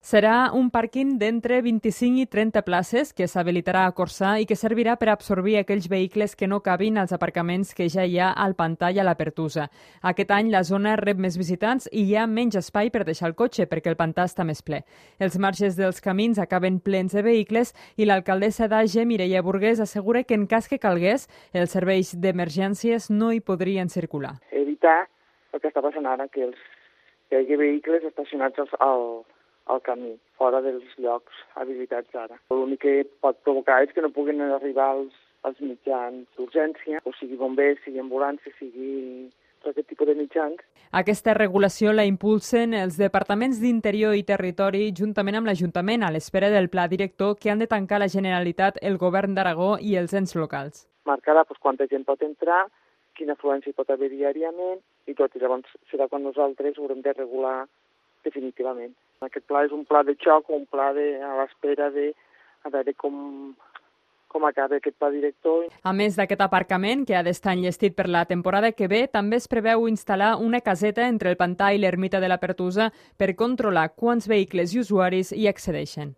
Serà un pàrquing d'entre 25 i 30 places que s'habilitarà a Corçà i que servirà per absorbir aquells vehicles que no cabin als aparcaments que ja hi ha al Pantà i a la Pertusa. Aquest any la zona rep més visitants i hi ha menys espai per deixar el cotxe perquè el Pantà està més ple. Els marges dels camins acaben plens de vehicles i l'alcaldessa d'Age, Mireia Burgués, assegura que en cas que calgués, els serveis d'emergències no hi podrien circular. Evitar el que està passant ara, que hi hagi vehicles estacionats al camí, fora dels llocs habilitats ara. L'únic que pot provocar és que no puguin arribar els mitjans d'urgència, o sigui bombers, sigui ambulància, sigui tot aquest tipus de mitjans. Aquesta regulació la impulsen els departaments d'Interior i Territori juntament amb l'Ajuntament a l'espera del pla director que han de tancar la Generalitat, el Govern d'Aragó i els ens locals. Marcarà quanta gent pot entrar, quina afluència hi pot haver diàriament i tot. I llavors serà quan nosaltres haurem de regular definitivament. Aquest pla és un pla de xoc o un pla a l'espera de a veure com acaba aquest pla director. A més d'aquest aparcament, que ha d'estar enllestit per la temporada que ve, també es preveu instal·lar una caseta entre el Pantà i l'ermita de la Pertusa per controlar quants vehicles i usuaris hi accedeixen.